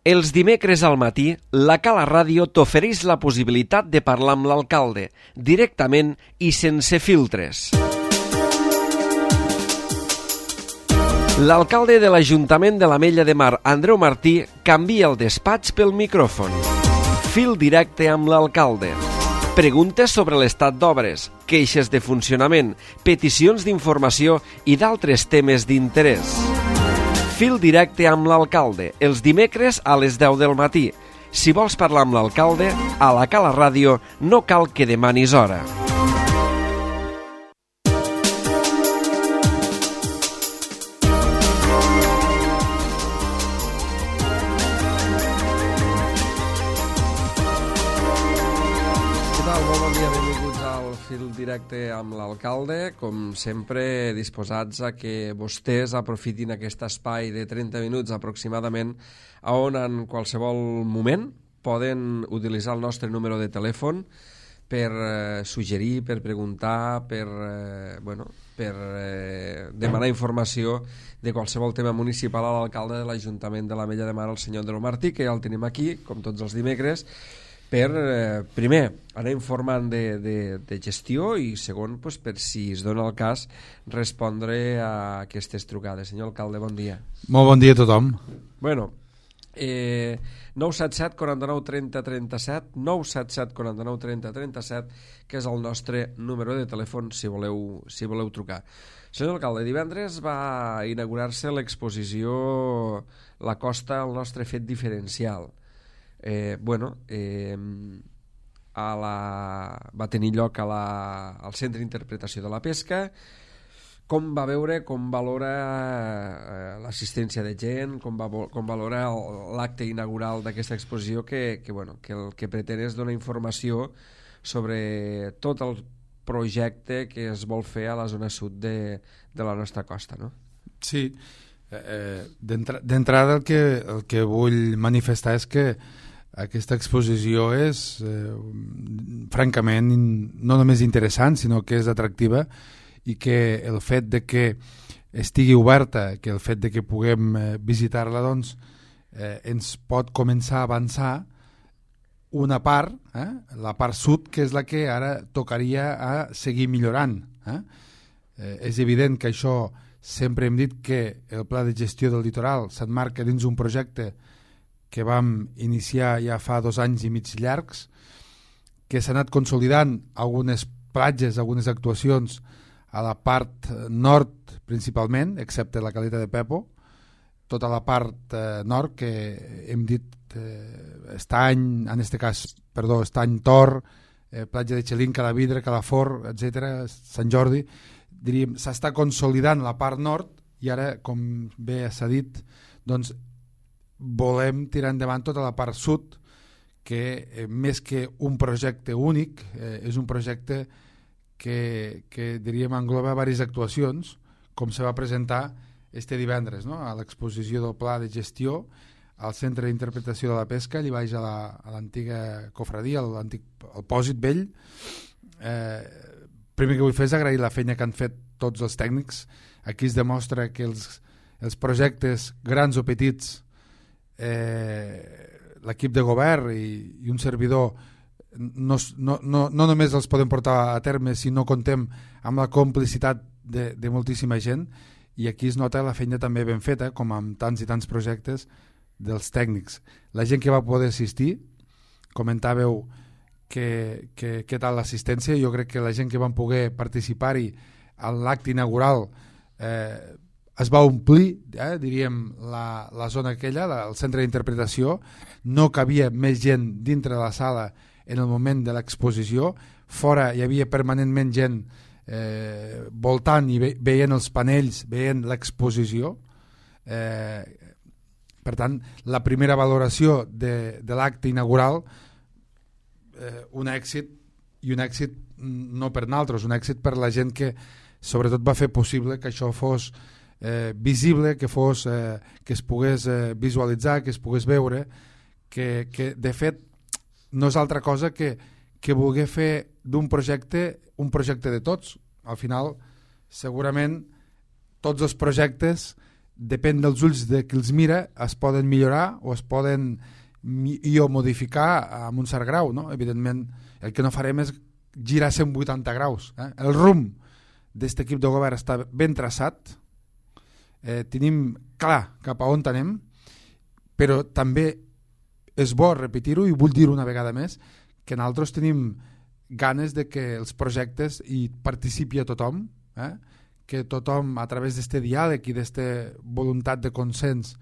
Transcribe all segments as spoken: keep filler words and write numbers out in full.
Els dimecres al matí, la Cala Ràdio t'ofereix la possibilitat de parlar amb l'alcalde, directament i sense filtres. L'alcalde de l'Ajuntament de l'Ametlla de Mar, Andreu Martí, canvia el despatx pel micròfon. Fil directe amb l'alcalde. Preguntes sobre l'estat d'obres, queixes de funcionament, peticions d'informació i d'altres temes d'interès. Fil directe amb l'alcalde, els dimecres a les deu del matí. Si vols parlar amb l'alcalde, a la Cala Ràdio no cal que demanis hora. Fil directe amb l'alcalde, com sempre disposats a que vostès aprofitin aquest espai de trenta minuts aproximadament, on en qualsevol moment poden utilitzar el nostre número de telèfon per eh, suggerir, per preguntar, per, eh, bueno, per eh, demanar informació de qualsevol tema municipal a l'alcalde de l'Ajuntament de l'Ametlla de Mar, el senyor Andreu Martí, que ja el tenim aquí, com tots els dimecres, per, eh, primer, anar informant de, de, de gestió i, segon, pues, per si es dona el cas, respondre a aquestes trucades. Senyor alcalde, bon dia. Molt bon dia a tothom. Bueno, eh, nou set set, quaranta-nou, trenta, trenta-set, nou set set, quaranta-nou, trenta, trenta-set, que és el nostre número de telèfon si voleu, si voleu trucar. Senyor alcalde, divendres va inaugurar-se l'exposició La Costa, el nostre fet diferencial. Eh, bueno, eh, a la, va tenir lloc a la, al Centre d'Interpretació de la Pesca. Com va veure, com valora eh, l'assistència de gent, com, va, com valora l'acte inaugural d'aquesta exposició que, que, bueno, que el que pretén és donar informació sobre tot el projecte que es vol fer a la zona sud de, de la nostra costa, no? Sí, eh, d'entrada el que, el que vull manifestar és que aquesta exposició és eh, francament no només interessant, sinó que és atractiva, i que el fet de que estigui oberta, que el fet de que puguem eh, visitar-la, doncs, eh, ens pot començar a avançar una part, eh, la part sud, que és la que ara tocaria a seguir millorant. Eh? Eh, és evident que això, sempre hem dit que el pla de gestió del litoral s'emmarca dins un projecte que vam iniciar ja fa dos anys i mig llargs, que s'ha anat consolidant algunes platges, algunes actuacions a la part nord principalment, excepte la Caleta de Pepo, tota la part eh, nord que hem dit eh, Estany, en este cas, perdó, Estany Tor, eh, platja de Xelín, Calavidre, Calafort, etcètera, Sant Jordi, diríem, s'està consolidant la part nord i ara, com bé s'ha dit, doncs volem tirar endavant tota la part sud, que eh, més que un projecte únic, eh, és un projecte que, que diríem engloba diverses actuacions, com se va presentar este divendres, no? A l'exposició del pla de gestió al Centre d'Interpretació de la Pesca, allà baix a l'antiga la, cofradia, a l'antic al Pòsit Vell. Eh, primer que vull fer és agrair la feina que han fet tots els tècnics. Aquí es demostra que els, els projectes grans o petits, Eh, l'equip de govern i, i un servidor no, no, no, no només els podem portar a terme si no contem amb la complicitat de, de moltíssima gent, i aquí es nota la feina també ben feta, com amb tants i tants projectes dels tècnics. La gent que va poder assistir, comentàveu que, que, que tal l'assistència. Jo crec que la gent que van poder participar-hi a l'acte inaugural eh, es va omplir, eh, diríem, la, la zona aquella, la, el centre d'interpretació. No cabia més gent dintre de la sala en el moment de l'exposició. Fora hi havia permanentment gent eh, voltant i ve, veient els panells, veient l'exposició. Eh, per tant, la primera valoració de, de l'acte inaugural, eh, un èxit, i un èxit no per nosaltres, un èxit per la gent que sobretot va fer possible que això fos Eh, visible, que fos eh, que es pogués eh, visualitzar, que es pogués veure, que, que de fet no és altra cosa que, que voler fer d'un projecte un projecte de tots. Al final segurament tots els projectes depèn dels ulls de qui els mira, es poden millorar o es poden i o modificar amb un cert grau, no? Evidentment, el que no farem és girar cent vuitanta graus. Eh? El rumb d'aquest equip de govern està ben traçat, eh, tenim clar cap a on anem, però també és bo repetir-ho, i vull dir una vegada més, que nosaltres tenim ganes de que els projectes hi participi a tothom, eh? que tothom, a través d'aquest diàleg i d'aquesta voluntat de consens,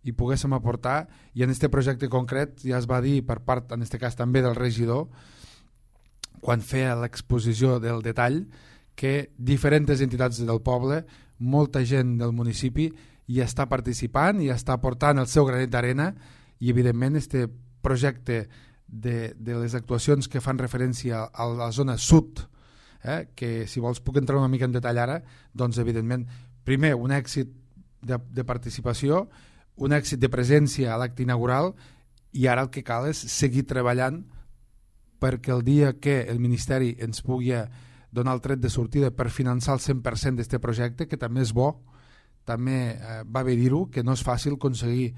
hi poguéssim aportar, i en aquest projecte concret ja es va dir per part, en aquest cas també del regidor, quan feia l'exposició del detall, que diferents entitats del poble, molta gent del municipi hi està participant i està aportant el seu granet d'arena, i evidentment aquest projecte de, de les actuacions que fan referència a la zona sud, eh, que si vols puc entrar una mica en detall ara, doncs evidentment, primer un èxit de, de participació, un èxit de presència a l'acte inaugural, i ara el que cal és seguir treballant perquè el dia que el Ministeri ens pugui donar el tret de sortida per finançar el cent per cent d'aquest projecte, que també és bo, també eh, va bé dir-ho, que no és fàcil aconseguir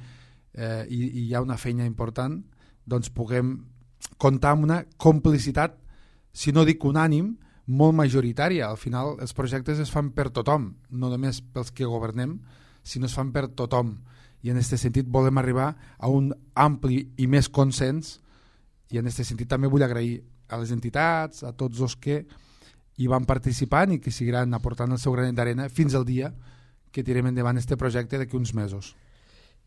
eh, i, i hi ha una feina important, doncs puguem comptar amb una complicitat, si no dic unànim, molt majoritària. Al final els projectes es fan per tothom, no només pels que governem, sinó es fan per tothom. I en aquest sentit volem arribar a un ampli i més consens, i en aquest sentit també vull agrair a les entitats, a tots els que hi van participant i que seguiran aportant el seu granet d'arena fins al dia que tirem endavant aquest projecte d'aquí uns mesos.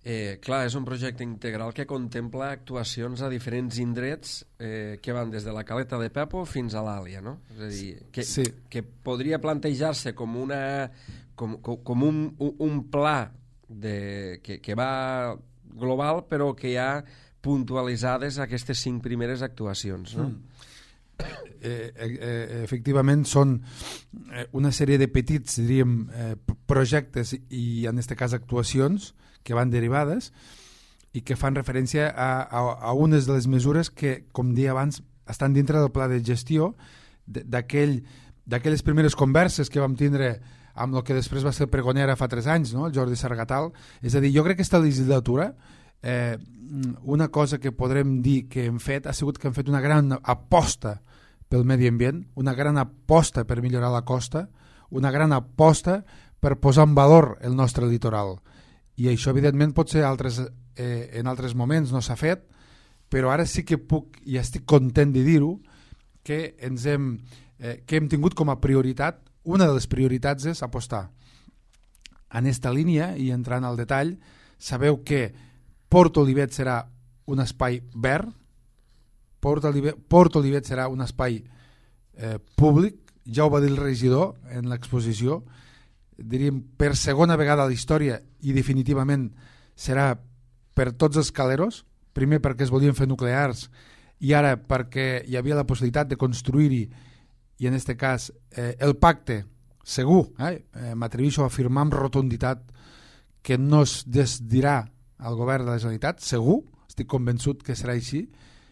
Eh, clar, és un projecte integral que contempla actuacions a diferents indrets eh, que van des de la Caleta de Pepo fins a l'Àlia, no? És a dir, que, sí. que podria plantejar-se com, una, com, com, com un, un pla de, que, que va global, però que hi ha puntualitzades aquestes cinc primeres actuacions, no? Mm. Eh, eh, efectivament són una sèrie de petits, diríem, eh, projectes i en aquest cas actuacions que van derivades i que fan referència a, a, a unes de les mesures que, com deia abans, estan dintre del pla de gestió d'aquell, d'aquelles primeres converses que vam tindre amb el que després va ser el pregonera fa tres anys, no? El Jordi Sargatal. És a dir, jo crec que aquesta legislatura eh, una cosa que podrem dir que hem fet ha sigut que hem fet una gran aposta pel medi ambient, una gran aposta per millorar la costa, una gran aposta per posar en valor el nostre litoral. I això, evidentment, pot ser altres, eh, en altres moments no s'ha fet, però ara sí que puc, i estic content de dir-ho, que, ens hem, eh, que hem tingut com a prioritat, una de les prioritats és apostar. En aquesta línia, i entrant al detall, sabeu que Port Olivet serà un espai verd, Port Olivet, Port Olivet serà un espai eh, públic, ja ho va dir el regidor en l'exposició, diríem per segona vegada a la història, i definitivament serà per tots els caleros, primer perquè es volien fer nuclears i ara perquè hi havia la possibilitat de construir-hi, i en aquest cas eh, el pacte segur, eh, eh, m'atreveixo a afirmar amb rotunditat que no es desdirà al govern de la Generalitat, segur, estic convençut que serà així,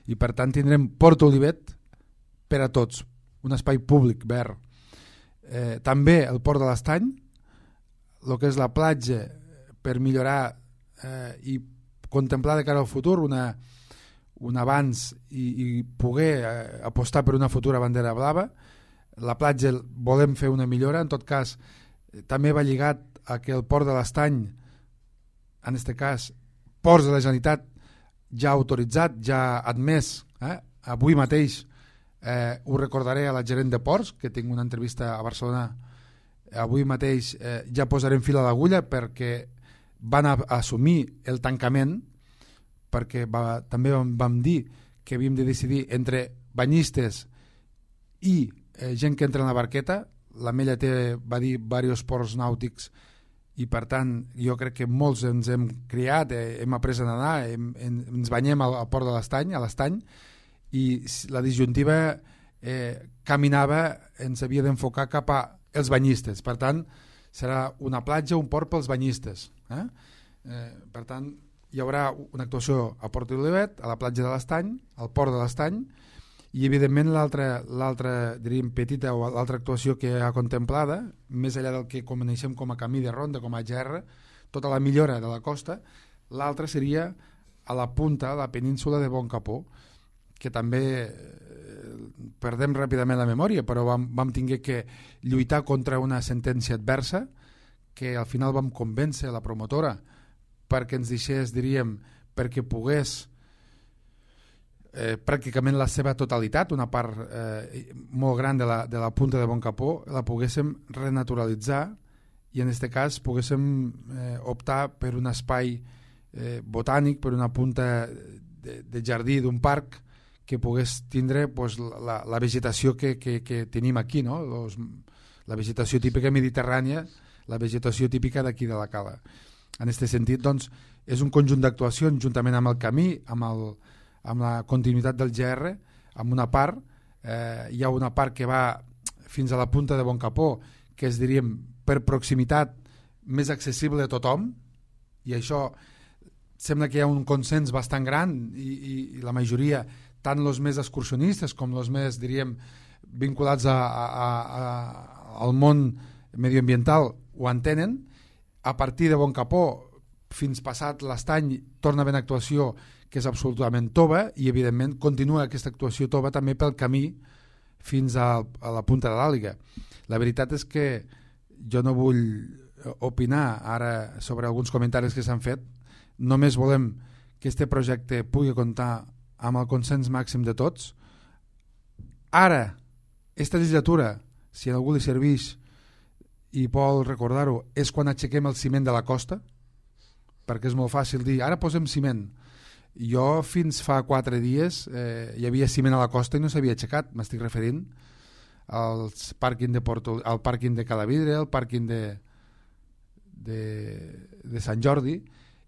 i per tant tindrem Port Olivet per a tots, un espai públic verd. Eh, també el Port de l'Estany, el que és la platja, per millorar eh, i contemplar de cara al futur una, un avanç i, i poder eh, apostar per una futura bandera blava. La platja volem fer una millora, en tot cas eh, també va lligat a que el Port de l'Estany, en aquest cas Ports de la Generalitat, ja autoritzat, ja admès, eh? Avui mateix eh, ho recordaré a la gerent de Ports, que tinc una entrevista a Barcelona, avui mateix eh, ja posarem fil a l'agulla perquè van a, a assumir el tancament, perquè va, també vam, vam dir que havíem de decidir entre banyistes i eh, gent que entra en la barqueta. La Mella té, va dir, diversos ports nàutics, i per tant jo crec que molts ens hem criat, eh, hem après a nedar, hem, hem, ens banyem al, al port de l'Estany, a l'Estany, i la disjuntiva eh, caminava, ens havia d'enfocar cap a els banyistes. Per tant, serà una platja, un port pels banyistes. Eh? Eh, per tant, hi haurà una actuació a Port Olivet, a la platja de l'Estany, al port de l'Estany, i evidentment l'altra, l'altra diríem petita o l'altra actuació que hi ha contemplada, més enllà del que coneixem com a camí de ronda, com a G R, tota la millora de la costa. L'altra seria a la punta, a la península de Boncapó, que també eh, perdem ràpidament la memòria, però vam, vam tinguer que lluitar contra una sentència adversa que al final vam convèncer la promotora perquè ens deixés, diríem, perquè pogués eh, pràcticament la seva totalitat, una part eh, molt gran de la, de la punta de Boncapó, la poguéssim renaturalitzar i en aquest cas poguéssim eh, optar per un espai eh, botànic, per una punta de, de jardí d'un parc que pogués tindre pues, la, la vegetació que, que, que tenim aquí, no? Los, la vegetació típica mediterrània, la vegetació típica d'aquí de la cala. En aquest sentit, doncs, és un conjunt d'actuacions juntament amb el camí, amb, el, amb la continuïtat del G R, amb una part, eh, hi ha una part que va fins a la punta de Boncapó, que és, diríem, per proximitat més accessible a tothom, i això sembla que hi ha un consens bastant gran i, i, i la majoria, tant els més excursionistes com els més, diríem, vinculats a, a, a, al món medioambiental ho entenen. A partir de Boncapó fins passat l'estany torna a haver una actuació que és absolutament tova i evidentment continua aquesta actuació tova també pel camí fins a, a la punta de l'Àliga. La veritat és que jo no vull opinar ara sobre alguns comentaris que s'han fet, només volem que este projecte pugui comptar amb el consens màxim de tots. Ara, esta legislatura, si a algú li serveix i vol recordar-ho, és quan aixequem el ciment de la costa, perquè és molt fàcil dir, ara posem ciment. Jo fins fa quatre dies eh, hi havia ciment a la costa i no s'havia aixecat, m'estic referint als pàrquing de Porto, al pàrquing de Calavidre, al pàrquing de, de, de Sant Jordi.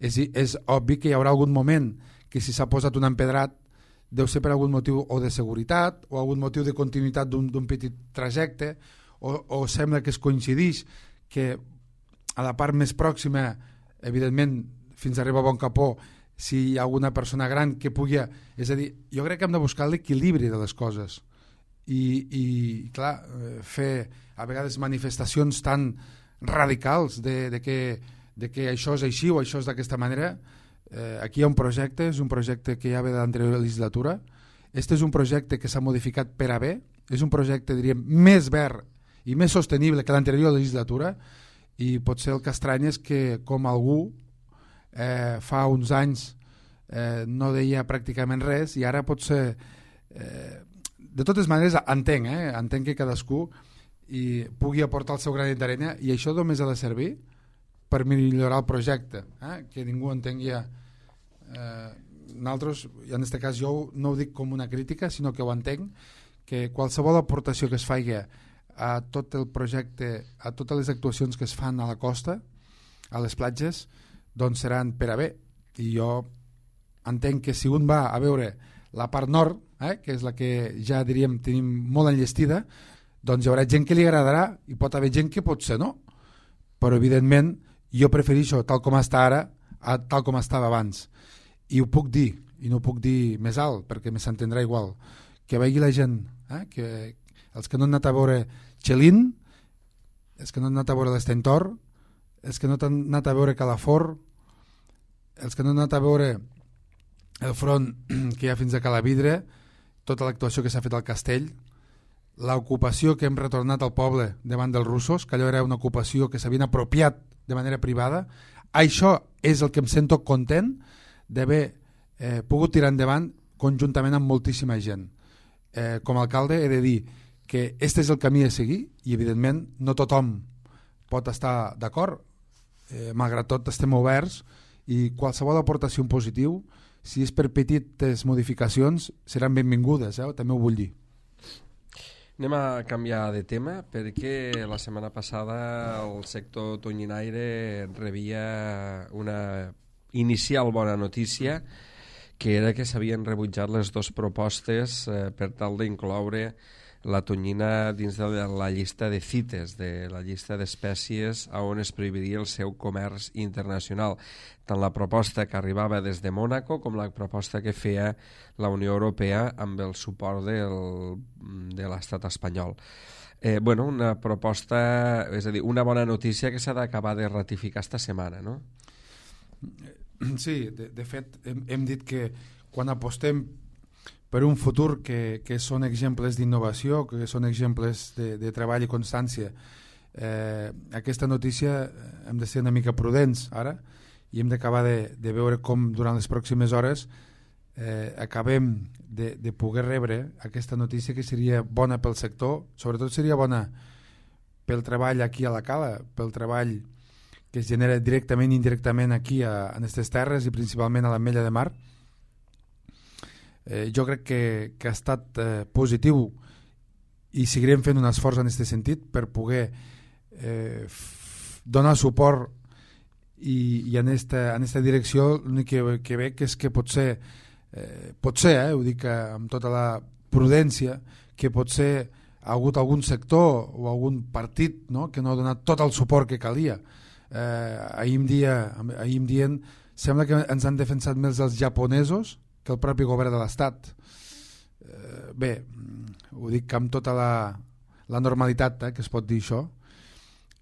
És, és obvi que hi haurà algun moment que si s'ha posat un empedrat deu ser per algun motiu o de seguretat o algun motiu de continuïtat d'un petit trajecte, o, o sembla que es coincideix que a la part més pròxima, evidentment, fins a arribar a Boncapó, si hi ha alguna persona gran que pugui... És a dir, jo crec que hem de buscar l'equilibri de les coses i, i clar, fer a vegades manifestacions tan radicals de, de, que, de que això és així o això és d'aquesta manera. Eh, aquí hi ha un projecte, és un projecte que ja ve de l'anterior legislatura. Este és un projecte que s'ha modificat per a bé, és un projecte, diríem, més verd i més sostenible que l'anterior legislatura, i potser el que estrany és que com algú eh, fa uns anys eh, no deia pràcticament res i ara potser eh, de totes maneres entenc, eh, entenc que cadascú i pugui aportar el seu granet d'arena i això només ha de servir per millorar el projecte, eh? Que ningú entengui eh, nosaltres, i en aquest cas jo no ho dic com una crítica sinó que ho entenc, que qualsevol aportació que es faci a tot el projecte, a totes les actuacions que es fan a la costa, a les platges, doncs seran per a bé. I jo entenc que si un va a veure la part nord, eh, que és la que ja diríem tenim molt enllestida, doncs hi haurà gent que li agradarà i pot haver gent que potser no. Però evidentment jo prefereixo tal com està ara a tal com estava abans. I ho puc dir, i no ho puc dir més alt perquè me s'entendrà igual, que vegi la gent, eh, que els que no han anat a veure Xelin, els que no han anat a veure l'Estentor, els que no han anat a veure Calafort, els que no han anat a veure el front que hi ha fins a Calavidre, tota l'actuació que s'ha fet al castell, l'ocupació que hem retornat al poble davant dels russos, que allò era una ocupació que s'havien apropiat de manera privada. Això és el que em sento content d'haver eh, pogut tirar endavant conjuntament amb moltíssima gent. Eh, com a alcalde he de dir que este és el camí a seguir i evidentment no tothom pot estar d'acord, eh, malgrat tot estem oberts i qualsevol aportació en positiu, si és per petites modificacions, seran benvingudes, eh? També ho vull dir. Anem a canviar de tema perquè la setmana passada el sector tonyinaire rebia una inicial bona notícia, que era que s'havien rebutjat les dues propostes eh, per tal d'incloure la tonyina dins de la llista de CITES, de la llista d'espècies on es prohibiria el seu comerç internacional. Tant la proposta que arribava des de Mònaco com la proposta que feia la Unió Europea amb el suport del, de l'estat espanyol. Eh, bueno, una proposta, és a dir, una bona notícia que s'ha d'acabar de ratificar esta setmana, no? Sí, de, de fet, hem, hem dit que quan apostem per un futur que, que són exemples d'innovació, que són exemples de, de treball i constància, eh, aquesta notícia hem de ser una mica prudents ara i hem d'acabar de, de veure com durant les pròximes hores eh, acabem de, de poder rebre aquesta notícia que seria bona pel sector, sobretot seria bona pel treball aquí a la Cala, pel treball que es genera directament i indirectament aquí a, en aquestes terres i principalment a l'Ametlla de Mar. Eh, jo crec que, que ha estat eh, positiu i seguirem fent un esforç en aquest sentit per poder eh, f- donar suport i, i en esta, en esta direcció l'únic que, que veig és que potser eh, potser, eh, ho dic amb tota la prudència, que potser ha hagut algun sector o algun partit, no?, que no ha donat tot el suport que calia. Eh, ahir em dia, ahir em dient, sembla que ens han defensat més els japonesos que el propi govern de l'Estat. Eh, bé, ho dic amb tota la, la normalitat eh, que es pot dir això.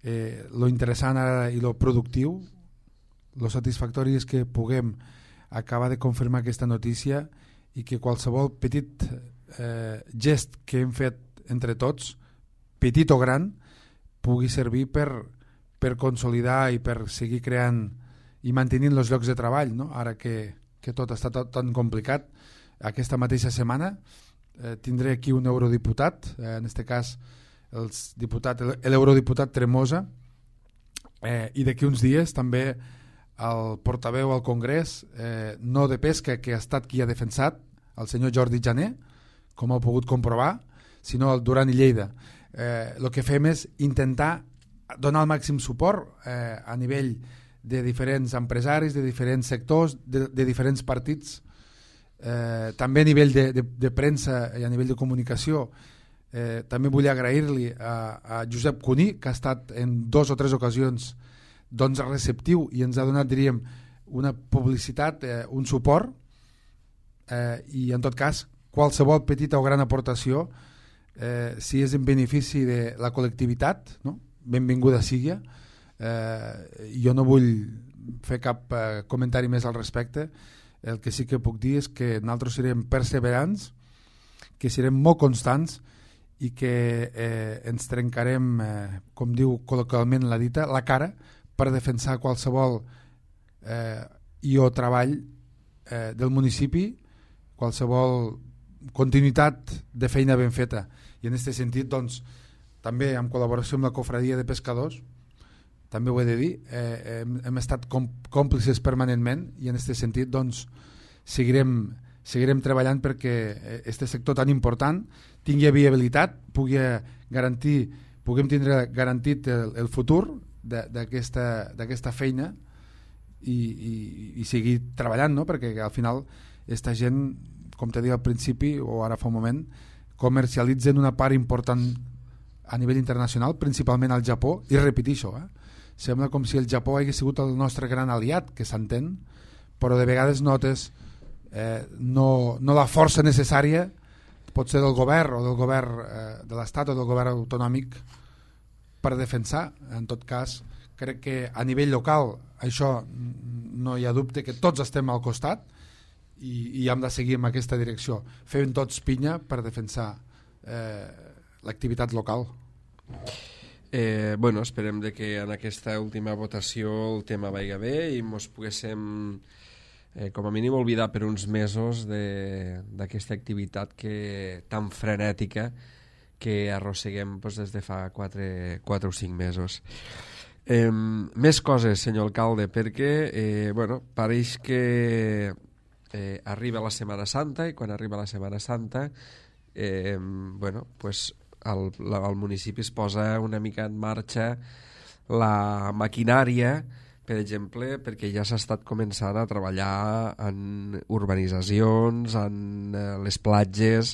Eh, lo interessant ara i lo productiu, lo satisfactori és que puguem acabar de confirmar aquesta notícia i que qualsevol petit eh, gest que hem fet entre tots, petit o gran, pugui servir per per consolidar i per seguir creant i mantenint els llocs de treball, no? Ara que, que tot està tot tan complicat. Aquesta mateixa setmana eh, tindré aquí un eurodiputat, eh, en aquest cas els diputat, l'eurodiputat Tremosa, eh, i d'aquí uns dies també el portaveu al Congrés, eh, no de pesca, que ha estat qui ha defensat, el senyor Jordi Jané, com heu pogut comprovar, sinó el Duran i Lleida. Eh, el que fem és intentar donar el màxim suport eh, a nivell de diferents empresaris, de diferents sectors, de, de diferents partits, eh, també a nivell de, de, de premsa i a nivell de comunicació. Eh, també vull agrair-li a, a Josep Cuní, que ha estat en dos o tres ocasions doncs, receptiu i ens ha donat, diríem, una publicitat, eh, un suport, eh, i en tot cas qualsevol petita o gran aportació, eh, si és en benefici de la col·lectivitat, no?, benvinguda sigui. Eh, jo no vull fer cap eh, comentari més al respecte. El que sí que puc dir és que nosaltres serem perseverants, que serem molt constants i que eh, ens trencarem, eh, com diu col·loquialment la dita, la cara per defensar qualsevol eh, i o treball eh, del municipi, qualsevol continuïtat de feina ben feta. I en aquest sentit, doncs, també en col·laboració amb la Cofradia de Pescadors, també ho he de dir, eh, hem, hem estat còmplices permanentment i en aquest sentit doncs, seguirem, seguirem treballant perquè aquest sector tan important tingui viabilitat, pugui garantir, puguem tindre garantit el, el futur d'aquesta feina i, i, i seguir treballant, no? Perquè al final aquesta gent, com t'he dit al principi o ara fa un moment, comercialitzen una part important a nivell internacional, principalment al Japó, i repeteixo, eh? Sembla com si el Japó hagués sigut el nostre gran aliat, que s'entén, però de vegades notes eh, no, no la força necessària, pot ser del govern o del govern eh, de l'Estat o del govern autonòmic per defensar. En tot cas, crec que a nivell local això no hi ha dubte que tots estem al costat i, i hem de seguir en aquesta direcció, fent tots pinya per defensar eh, l'activitat local. Eh, bueno, esperem de que en aquesta última votació el tema vagi bé i ens poguéssim eh, com a mínim oblidar per uns mesos d'aquesta activitat que, tan frenètica que arrosseguem doncs, des de fa quatre o cinc mesos. Eh, més coses, senyor alcalde, perquè eh, bueno, pareix que eh, arriba la Setmana Santa i quan arriba la Setmana Santa eh, bueno, pues el, la, el municipi es posa una mica en marxa la maquinària, per exemple, perquè ja s'ha estat començant a treballar en urbanitzacions, en eh, les platges,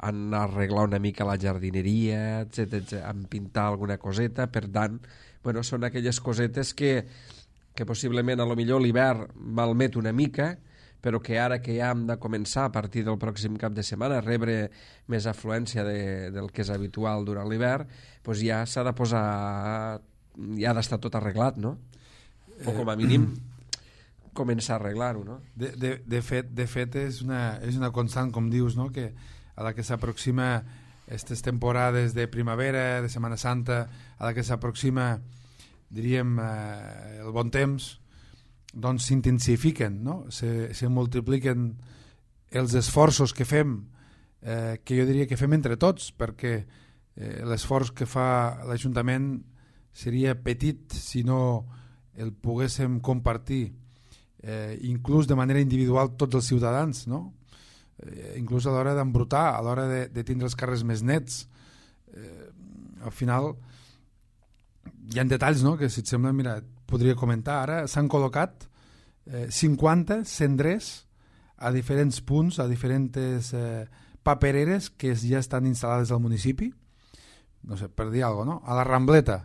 en arreglar una mica la jardineria, etcètera, en pintar alguna coseta. Per tant, bueno, són aquelles cosetes que, que possiblement a lo millor l'hivern malmet una mica, però que ara que ja hem de començar a partir del pròxim cap de setmana a rebre més afluència de, del que és habitual durant l'hivern, doncs ja s'ha de posar, ja ha d'estar tot arreglat, no? O com a mínim començar a arreglar-ho, no? De, de, de, fet, de fet és una, és una constant, com dius, no? Que a la que s'aproxima aquestes temporades de primavera, de Setmana Santa, a la que s'aproxima, diríem, eh, el bon temps, doncs s'intensifiquen, no? Se, se multipliquen els esforços que fem, eh, que jo diria que fem entre tots, perquè eh, l'esforç que fa l'Ajuntament seria petit si no el poguéssim compartir, eh, inclús de manera individual tots els ciutadans, no? Eh, inclús a l'hora d'embrutar, a l'hora de, de tindre els carrers més nets. Eh, al final hi ha detalls, no?, que si et sembla, mira, podria comentar. Ara s'han col·locat eh, cinquanta cendrers a diferents punts, a diferents eh, papereres que ja estan instal·lades al municipi. No sé, per dir alguna cosa, no? A la Rambleta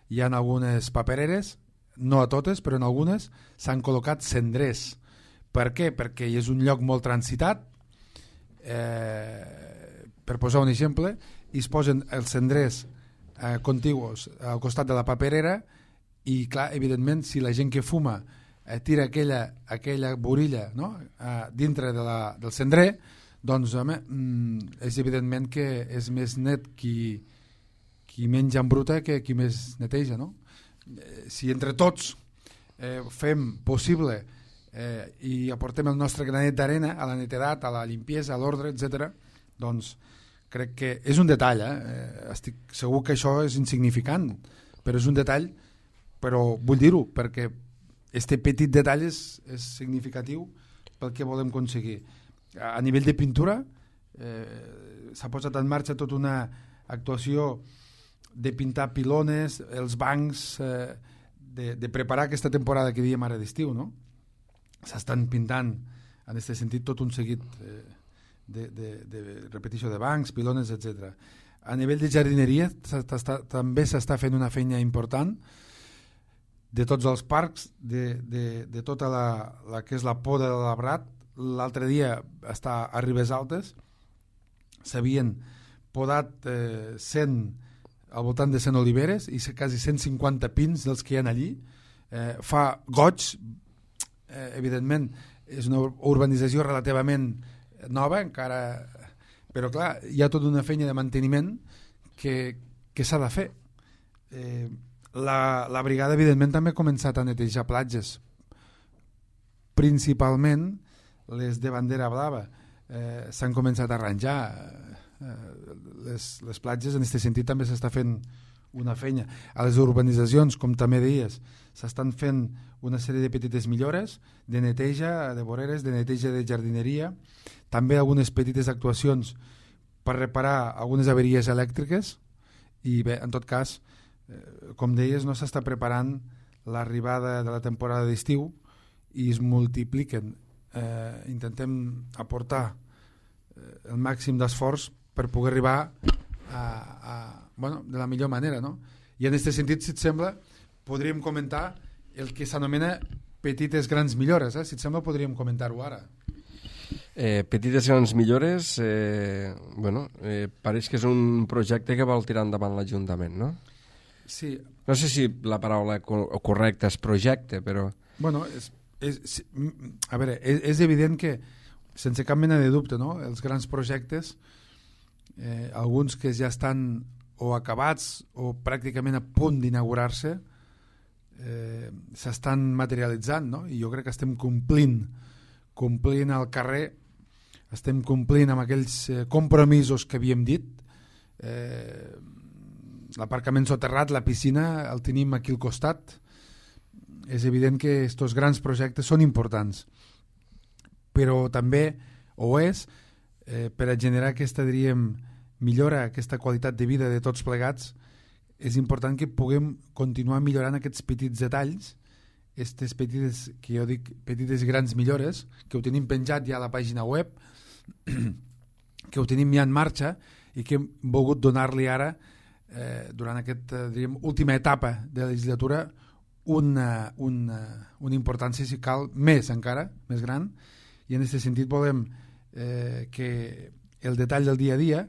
hi ha algunes papereres, no a totes, però en algunes s'han col·locat cendrers. Per què? Perquè és un lloc molt transitat. Eh, per posar un exemple, i es posen els cendrers eh, contigus al costat de la paperera i, clar, evidentment, si la gent que fuma eh, tira aquella, aquella borilla, no?, eh, dintre de la, del cendrer, doncs, home, mm, és evidentment que és més net qui, qui menys embruta que qui més neteja, no? Eh, si entre tots eh, fem possible eh, i aportem el nostre granet d'arena a la netedat, a la limpiesa, a l'ordre, etcètera, doncs crec que és un detall, eh? Estic segur que això és insignificant, però és un detall, però vull dir-ho, perquè este petit detall és, és significatiu pel que volem aconseguir. A nivell de pintura eh, s'ha posat en marxa tota una actuació de pintar pilones, els bancs, eh, de, de preparar aquesta temporada que diem ara d'estiu, no? S'estan pintant en aquest sentit tot un seguit eh, de, de, de repetició de bancs, pilones, etcètera. A nivell de jardineria també s'està fent una feina important de tots els parcs, de, de, de tota la, la que és la poda de l'arbrat. L'altre dia està a Ribes Altes, s'havien podat eh, cent, al voltant de cent oliveres i quasi cent cinquanta pins dels que hi ha allí. Eh, fa goig, eh, evidentment és una urbanització relativament nova encara, però clar, hi ha tota una feina de manteniment que, que s'ha de fer. Eh, la, la brigada evidentment també ha començat a netejar platges, principalment les de bandera blava. Eh, s'han començat a arranjar eh, les, les platges. En aquest sentit també s'està fent una feina. A les urbanitzacions, com també deies, s'estan fent una sèrie de petites millores de neteja de voreres, de neteja de jardineria, també algunes petites actuacions per reparar algunes averies elèctriques i bé, en tot cas, eh, com deies, no s'està preparant l'arribada de la temporada d'estiu i es multipliquen. Eh, intentem aportar eh, el màxim d'esforç per poder arribar a, a, bueno, de la millor manera, no? I en aquest sentit, si et sembla, podríem comentar el que s'anomena petites grans millores, eh? Si et sembla podríem comentar-ho ara. Eh, petites grans millores, eh, bueno, eh, pareix que és un projecte que vol tirar endavant l'Ajuntament, no? Sí. No sé si la paraula co- correcta és projecte, però... Bueno, és, és, a veure, és, és evident que, sense cap mena de dubte, no?, els grans projectes, eh, alguns que ja estan o acabats o pràcticament a punt d'inaugurar-se, eh, s'estan materialitzant, no? I jo crec que estem complint complint al carrer, estem complint amb aquells eh, compromisos que havíem dit. Eh, l'aparcament soterrat, la piscina, el tenim aquí al costat. És evident que aquests grans projectes són importants, però també ho és eh, per a generar aquesta, diríem, millora, aquesta qualitat de vida de tots plegats. És important que puguem continuar millorant aquests petits detalls, aquestes petites, que jo dic petites grans millores, que ho tenim penjat ja a la pàgina web, que ho tenim ja en marxa i que hem volgut donar-li ara, eh, durant aquesta diríem, última etapa de la legislatura, una, una, una importància, si cal, més encara, més gran, i en aquest sentit volem eh, que el detall del dia a dia,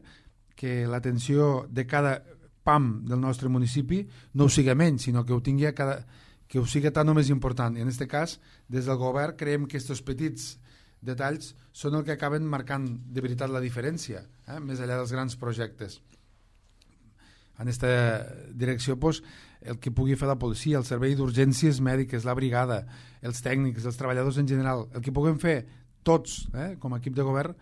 que l'atenció de cada P A M del nostre municipi no ho siga menys, sinó que ho tingui a cada, que ho siga tant o més important. I en aquest cas, des del govern, creiem que aquests petits detalls són el que acaben marcant de veritat la diferència, eh? Més enllà dels grans projectes. En aquesta direcció, doncs, el que pugui fer la policia, el servei d'urgències mèdiques, la brigada, els tècnics, els treballadors en general, el que puguem fer tots, eh, com a equip de govern,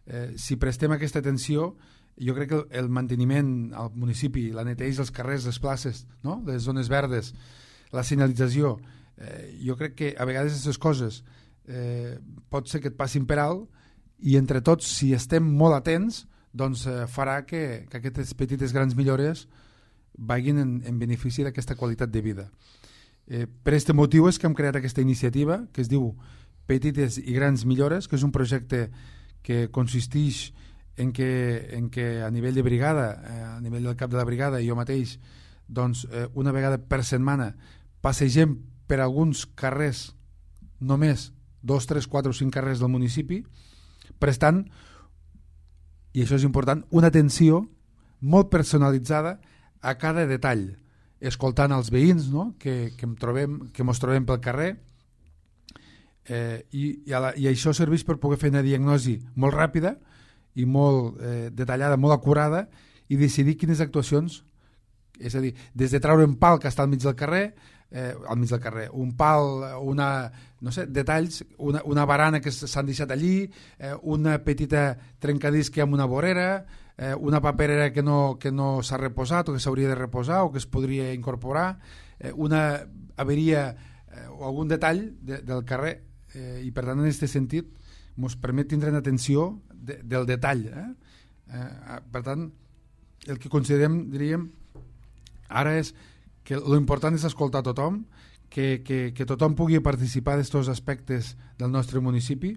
eh, si prestem aquesta atenció, jo crec que el, el manteniment al municipi, la neteja dels carrers, les places, no? Les zones verdes, la senyalització, eh, jo crec que a vegades aquestes coses eh, pot ser que et passin per alt i entre tots, si estem molt atents, doncs eh, farà que, que aquestes petites grans millores vagin en, en benefici d'aquesta qualitat de vida. Eh, per aquest motiu és que hem creat aquesta iniciativa que es diu Petites i Grans Millores, que és un projecte que consisteix en que, en que a nivell de brigada, eh, a nivell del cap de la brigada i jo mateix, doncs eh, una vegada per setmana passegem per alguns carrers, només dos, tres, quatre o cinc carrers del municipi, prestant, i això és important, una atenció molt personalitzada a cada detall, escoltant els veïns, no? que, que, em trobem, que mos trobem pel carrer, eh, i, i, a la, i això serveix per poder fer una diagnosi molt ràpida i molt eh, detallada, molt acurada, i decidir quines actuacions, és a dir, des de treure un pal que està al mig del carrer, eh, al mig del carrer, un pal, una, no sé, detalls, una, una barana que s'han deixat allí, eh, una petita trencadís que amb una vorera, eh, una paperera que no, que no s'ha reposat o que s'hauria de reposar o que es podria incorporar, eh, una averia eh, o algun detall de, del carrer, eh, i per tant en aquest sentit ens permet tindre una atenció de, del detall. Eh? Eh, per tant, el que considerem, diríem, ara és que l'important és escoltar tothom, que, que, que tothom pugui participar d'aquests aspectes del nostre municipi,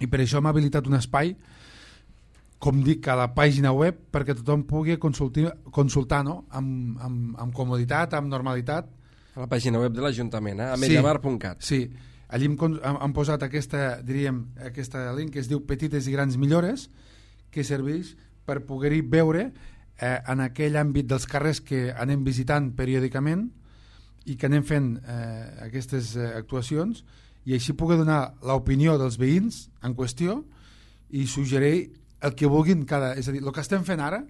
i per això hem habilitat un espai, com dic, a la pàgina web, perquè tothom pugui consultar, consultar no? amb, amb, amb comoditat, amb normalitat. A la pàgina web de l'Ajuntament, eh? a mediamar punt cat. Sí, sí. Allí hem, hem posat aquesta, diríem, aquesta link que es diu Petites i Grans Millores, que serveix per poder-hi veure eh, en aquell àmbit dels carrers que anem visitant periòdicament i que anem fent eh, aquestes eh, actuacions, i així poder donar l'opinió dels veïns en qüestió i suggerir el que vulguin cada... És a dir, el que estem fent ara,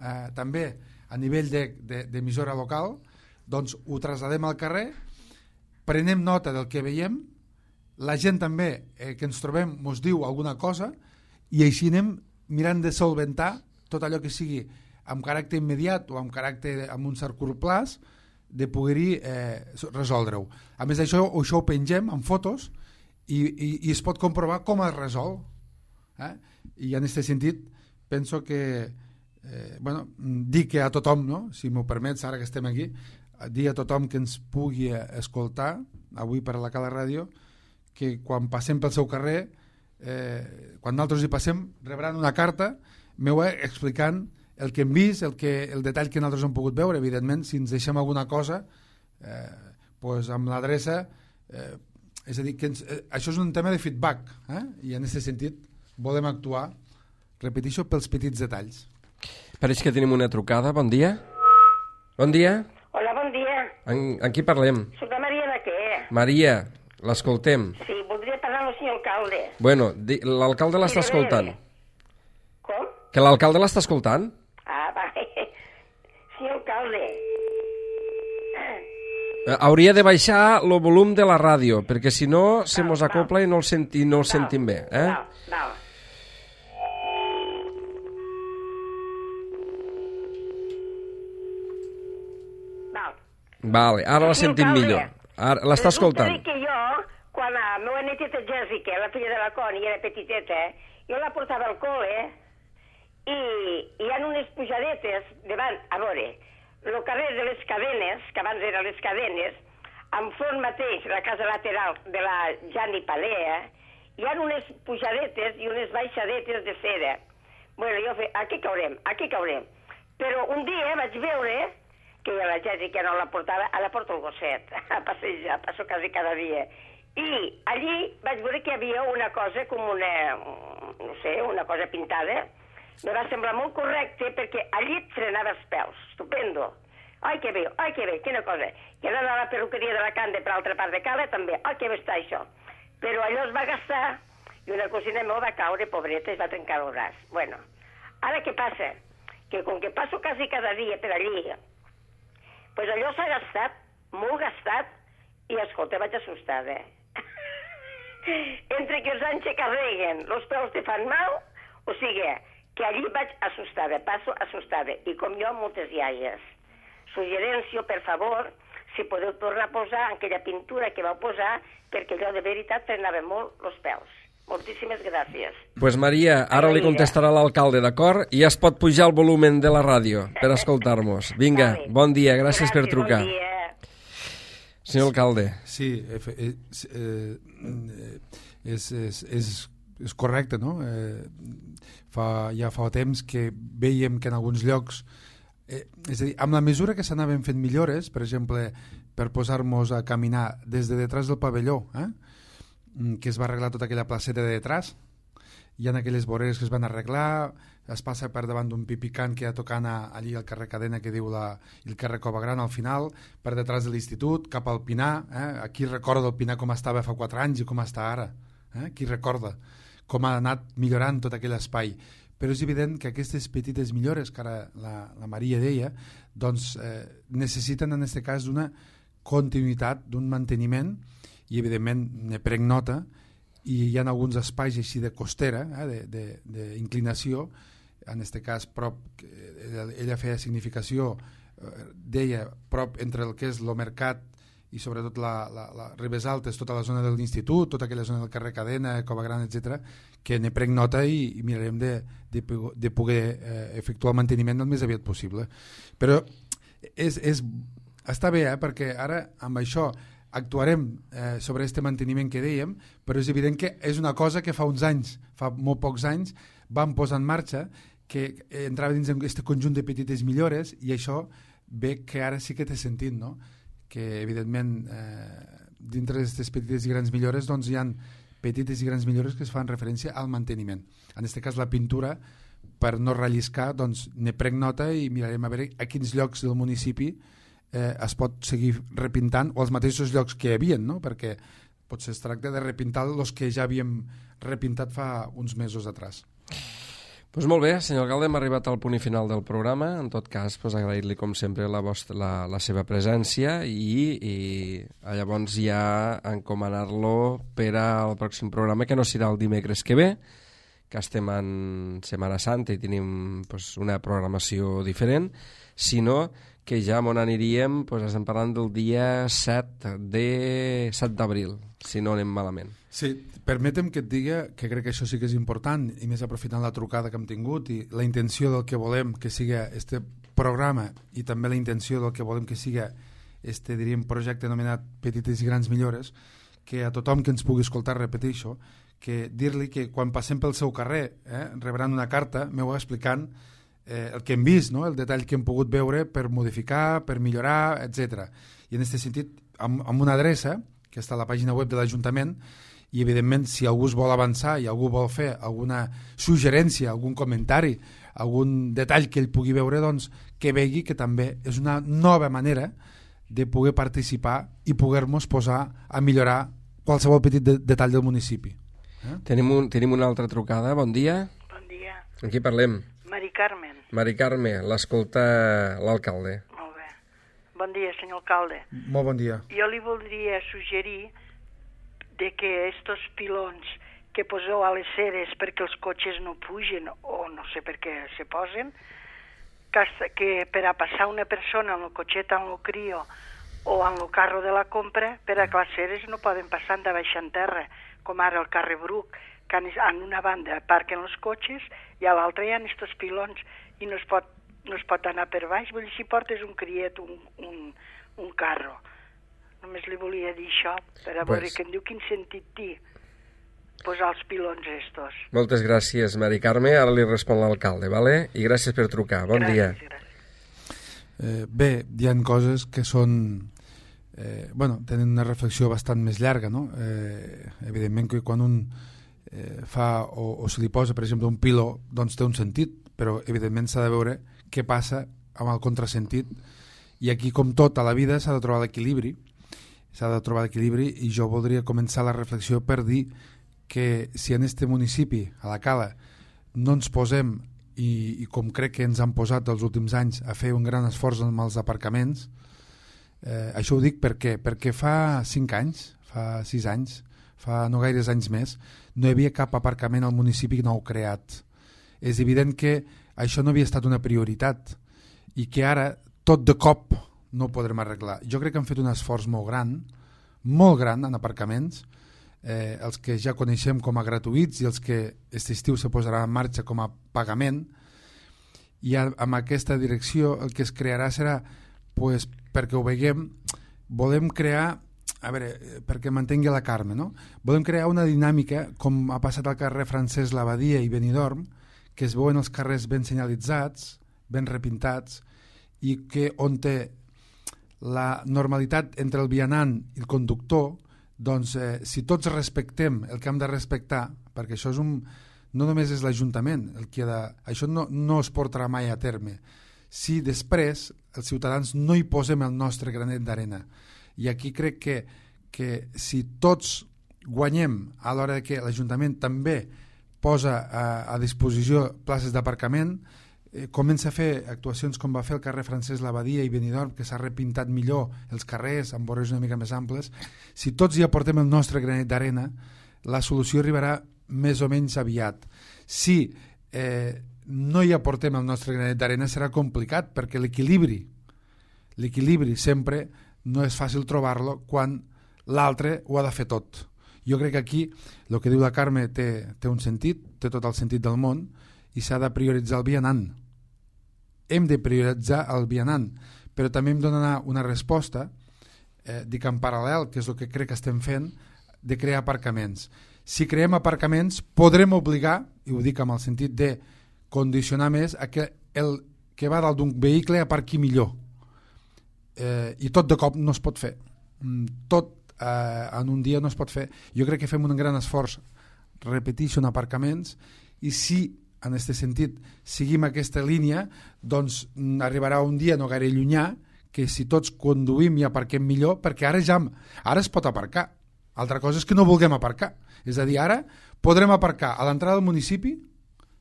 eh, també a nivell d'emissora local, doncs ho traslladem al carrer, prenem nota del que veiem, la gent també eh, que ens trobem ens diu alguna cosa i així anem mirant de solventar tot allò que sigui amb caràcter immediat o amb caràcter amb un cert curt plaç de poder-hi eh, resoldre-ho. A més d'això, això ho pengem amb fotos i, i, i es pot comprovar com es resol. Eh? I en aquest sentit penso que eh, bueno, dic que a tothom, no? Si m'ho permets, ara que estem aquí, dir a tothom que ens pugui escoltar avui per la Cala Ràdio, que quan passem pel seu carrer, eh, quan nosaltres hi passem, rebran una carta meva explicant el que hem vist, el, que, el detall que nosaltres hem pogut veure. Evidentment, si ens deixem alguna cosa, eh, pues amb l'adreça, eh, és a dir, que ens, eh, això és un tema de feedback, eh? I en aquest sentit volem actuar, repeteixo, pels petits detalls. Pareix que tenim una trucada. Bon dia. Bon dia. Hola, bon dia. En, en qui parlem? Soc la Maria de què? Maria, l'escoltem. Sí, voldria parlar amb el senyor alcalde. Bueno, l'alcalde l'està escoltant. Com? Que l'alcalde l'està escoltant? Ah, va. Senyor alcalde. Eh, hauria de baixar el volum de la ràdio, perquè si no se mos acopla i no el, senti, no el sentim bé. Eh? Val, val. Val. Vale, ara la sentim millor. Ara l'està escoltant. Resulta que jo, quan la meva neteta Jessica, la filla de la Connie, era petiteta, jo la portava al col·le i hi ha unes pujadetes davant, a veure, el carrer de les Cadenes, que abans eren les Cadenes, enfront mateix, la casa lateral de la Jani Palea, hi ha unes pujadetes i unes baixadetes de cera. Bueno, jo fe, aquí caurem, aquí caurem. Però un dia vaig veure que la Jessica no la portava, ara porto el gosset a passejar, passo quasi cada dia. I allí vaig veure que hi havia una cosa com una, no sé, una cosa pintada. Me va semblar molt correcte perquè allí et frenava els pèls. Estupendo. Ai, que bé, ai, que bé, quina cosa. I anant a la perruqueria de la Cande per altra part de Cala també. Ai, que bé està això. Però allò es va gastar i una cosina meva va caure, pobreta, i es va trencar el braç. Bueno, ara què passa? Que com que passo quasi cada dia per allí, pues allò s'ha gastat, molt gastat, i escolta, vaig assustada. Entre que els anys se carreguen, els peus te fan mal, o sigui, que allí vaig assustada, passo assustada, i com jo, moltes iaies. Suggerència, per favor, si podeu tornar a posar aquella pintura que vau posar, perquè allò de veritat frenava molt els pèls. Moltíssimes gràcies. Pues Maria, ara li contestarà l'alcalde, d'acord? I ja es pot pujar el volumen de la ràdio per escoltar-nos. Vinga, bon dia, gràcies per trucar. Bon dia. Senyor alcalde. Sí, és, eh, és, és, és, és correcte, no? Eh, fa, ja fa temps que veiem que en alguns llocs, eh, és a dir, amb la mesura que s'anaven fent millores, per exemple, per posar-nos a caminar des de detrás del pavelló, eh, que es va arreglar tota aquella placeta de detrás, hi ha aquelles voreres que es van arreglar, es passa per davant d'un pipicant que hi ha tocant a, allí al carrer Cadena, que diu la, el carrer Cova Gran al final, per detrás de l'institut, cap al Pinar, eh? Aquí recorda el Pinar com estava fa quatre anys i com està ara, eh? Qui recorda com ha anat millorant tot aquell espai. Però és evident que aquestes petites millores que ara la, la Maria deia, doncs eh, necessiten en aquest cas d'una continuïtat, d'un manteniment, i evidentment ne prenc nota, i hi ha alguns espais així de costera, eh, d'inclinació, en aquest cas prop, ella, ella feia significació, eh, deia prop entre el que és el mercat i sobretot la, la, la Ribes Altes, tota la zona de l'institut, tota aquella zona del carrer Cadena, Cova Gran, etcètera, que ne prenc nota i, i mirarem de, de, de poder eh, efectuar el manteniment el més aviat possible. Però és, és, està bé, eh, perquè ara amb això actuarem eh, sobre aquest manteniment que dèiem, però és evident que és una cosa que fa uns anys, fa molt pocs anys, vam posar en marxa, que entrava dins d'aquest conjunt de petites millores, i això ve que ara sí que té sentit, no? Que evidentment eh, dintre d'aquestes petites i grans millores doncs hi ha petites i grans millores que es fan referència al manteniment. En aquest cas la pintura, per no relliscar, doncs ne prenc nota i mirarem a veure a quins llocs del municipi eh, es pot seguir repintant, o els mateixos llocs que hi havia, no? Perquè potser es tracta de repintar els que ja havíem repintat fa uns mesos atrás. Pues molt bé, senyor alcalde, hem arribat al punt i final del programa. En tot cas, pues, agrair-li com sempre la, vostra, la, la seva presència i, i llavors ja encomanar-lo per al pròxim programa, que no serà el dimecres que ve, que estem en Setmana Santa i tenim pues, una programació diferent, sinó que ja on aniríem, pues, estem parlant del dia set d'abril, si no anem malament. Sí, permetem que et diga que crec que això sí que és important, i més aprofitant la trucada que hem tingut i la intenció del que volem que siga este programa, i també la intenció del que volem que siga este, diríem, projecte anomenat Petites i Grans Millores, que a tothom que ens pugui escoltar repeteixo, que dir-li que quan passem pel seu carrer eh, rebran una carta, m'ho explicant eh, el que hem vist, no? El detall que hem pogut veure per modificar, per millorar, etcètera. I en aquest sentit, amb, amb una adreça, que està a la pàgina web de l'Ajuntament, i evidentment si algú es vol avançar i algú vol fer alguna suggerència, algun comentari, algun detall que ell pugui veure, doncs que vegi que també és una nova manera de poder participar i poder-nos posar a millorar qualsevol petit de detall del municipi. Eh? Tenim, un, tenim una altra trucada, bon dia. Bon dia. Amb qui parlem? Mari Carmen. Mari Carme, l'escolta l'alcalde. Molt bé. Bon dia, senyor alcalde. Molt bon dia. Jo li voldria suggerir de que estos pilons que poseu a les ceres perquè els cotxes no pugen o no sé per què se posen, que, que per a passar una persona en el cotxet en el crio o en el carro de la compra, per a que les ceres no poden passar de baix en terra, com ara el carrer Bruc, que en una banda aparquen els cotxes i a l'altra hi ha estos pilons i no es pot, no es pot anar per baix. Vull dir, si portes un criet, un, un, un carro. Només li volia dir això, per a veure pues, que em diu quin sentit té. posar els pilons estos. Moltes gràcies, Mari Carme. Ara li respon l'alcalde, vale? I gràcies per trucar. Bon gràcies, dia. Gràcies. Eh, bé, hi ha coses que són... Eh, bueno, tenen una reflexió bastant més llarga, no? Eh, evidentment que quan un eh, fa o, o se li posa, per exemple, un piló, doncs té un sentit, però evidentment s'ha de veure què passa amb el contrasentit. I aquí, com tot a la vida, s'ha de trobar l'equilibri, s'ha de trobar l'equilibri i jo voldria començar la reflexió per dir que si en este municipi, a la Cala, no ens posem, i, i com crec que ens han posat els últims anys, a fer un gran esforç amb els aparcaments, eh, això ho dic per què? Perquè fa cinc anys, fa sis anys, fa no gaires anys més, no hi havia cap aparcament al municipi nou creat. És evident que això no havia estat una prioritat i que ara tot de cop no ho podrem arreglar. Jo crec que han fet un esforç molt gran, molt gran en aparcaments, eh, els que ja coneixem com a gratuïts i els que aquest estiu se posaran en marxa com a pagament, i amb aquesta direcció el que es crearà serà, pues, perquè ho veiem, volem crear, a veure, perquè mantengui la Carme, no? Volem crear una dinàmica com ha passat al carrer Francesc Labadia i Benidorm, que es veuen els carrers ben senyalitzats, ben repintats, i que on té la normalitat entre el vianant i el conductor, doncs eh, si tots respectem el que hem de respectar, perquè això és un, no només és l'Ajuntament el que ha de, això no, no es portarà mai a terme, si després els ciutadans no hi posem el nostre granet d'arena. I aquí crec que, que si tots guanyem a l'hora que l'Ajuntament també posa a, a disposició places d'aparcament, Eh, comença a fer actuacions com va fer el carrer Francesc Labadia i Benidorm, que s'ha repintat millor els carrers amb vorejos una mica més amples. Si tots hi aportem el nostre granet d'arena, la solució arribarà més o menys aviat. Si eh, no hi aportem el nostre granet d'arena serà complicat, perquè l'equilibri l'equilibri sempre no és fàcil trobar-lo quan l'altre ho ha de fer tot. Jo crec que aquí el que diu la Carme té, té un sentit, té tot el sentit del món, i s'ha de prioritzar el vianant. Hem de prioritzar el vianant, però també hem de donar una resposta, eh, dic en paral·lel, que és el que crec que estem fent, de crear aparcaments. Si creem aparcaments, podrem obligar, i ho dic amb el sentit de condicionar més, a que el que va dalt d'un vehicle aparqui millor. Eh, I tot de cop no es pot fer. Tot eh, en un dia no es pot fer. Jo crec que fem un gran esforç, repeteixo, en aparcaments, i si en aquest sentit seguim aquesta línia, doncs arribarà un dia no gaire llunyà que si tots conduïm i aparquem millor, perquè ara ja ara es pot aparcar. Altra cosa és que no vulguem aparcar. És a dir, ara podrem aparcar a l'entrada del municipi,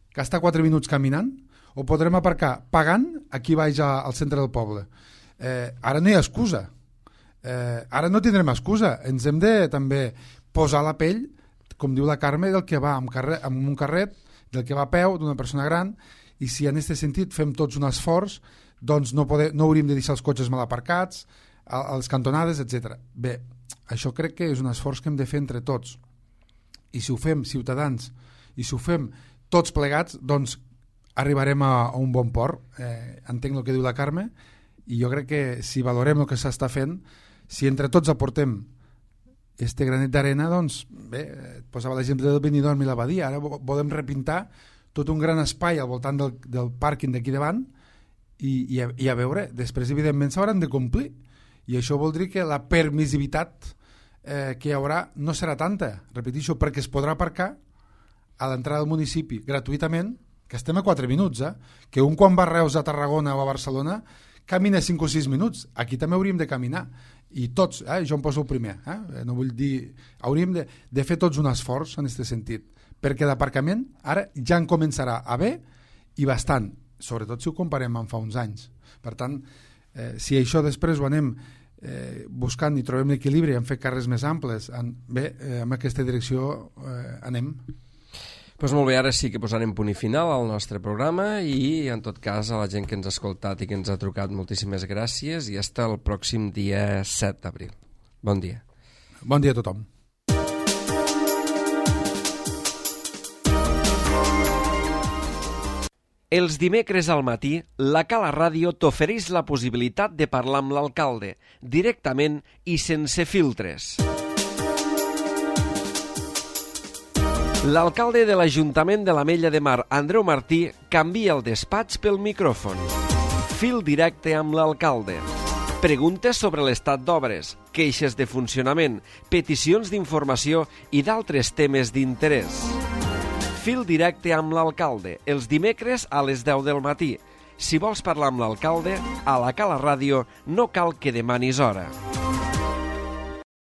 que està quatre minuts caminant, o podrem aparcar pagant aquí baix al centre del poble. Eh, ara no hi ha excusa. Eh, ara no tindrem excusa. Ens hem de també posar la pell, com diu la Carme, del que va amb, carrer, amb un carret, del que va a peu, d'una persona gran, i si en aquest sentit fem tots un esforç, doncs no, poder, no hauríem de deixar els cotxes mal aparcats, a, a les cantonades, etcètera. Bé, això crec que és un esforç que hem de fer entre tots. I si ho fem ciutadans, i si ho fem tots plegats, doncs arribarem a, a un bon port. Eh, entenc el que diu la Carme, i jo crec que si valorem el que s'està fent, si entre tots aportem este granet d'arena, doncs, bé, posava l'exemple del Benidorm i la Badia, ara volem repintar tot un gran espai al voltant del, del pàrquing d'aquí davant i, i, a, i a veure, després evidentment s'hauran de complir, i això vol dir que la permissivitat eh, que hi haurà no serà tanta, repeteixo, perquè es podrà aparcar a l'entrada del municipi gratuïtament, que estem a quatre minuts, eh? Que un quan va a Reus, a Tarragona o a Barcelona camina cinc o sis minuts, aquí també hauríem de caminar, i tots, eh? Jo em poso el primer, eh? No vull dir, hauríem de, de fer tots un esforç en aquest sentit, perquè d'aparcament ara ja en començarà a haver i bastant, sobretot si ho comparem amb fa uns anys. Per tant, eh, si això després ho anem eh, buscant i trobem l'equilibri en fer carrers més amples, en, bé, eh, en aquesta direcció eh, anem. Doncs molt bé, ara sí que posarem punt i final al nostre programa i, en tot cas, a la gent que ens ha escoltat i que ens ha trucat, moltíssimes gràcies i fins el pròxim dia set d'abril. Bon dia. Bon dia a tothom. Els dimecres al matí, la Cala Ràdio t'ofereix la possibilitat de parlar amb l'alcalde, directament i sense filtres. L'alcalde de l'Ajuntament de l'Ametlla de Mar, Andreu Martí, canvia el despatx pel micròfon. Fil directe amb l'alcalde. Preguntes sobre l'estat d'obres, queixes de funcionament, peticions d'informació i d'altres temes d'interès. Fil directe amb l'alcalde, els dimecres a les deu del matí. Si vols parlar amb l'alcalde, a la Cala Ràdio no cal que demanis hora.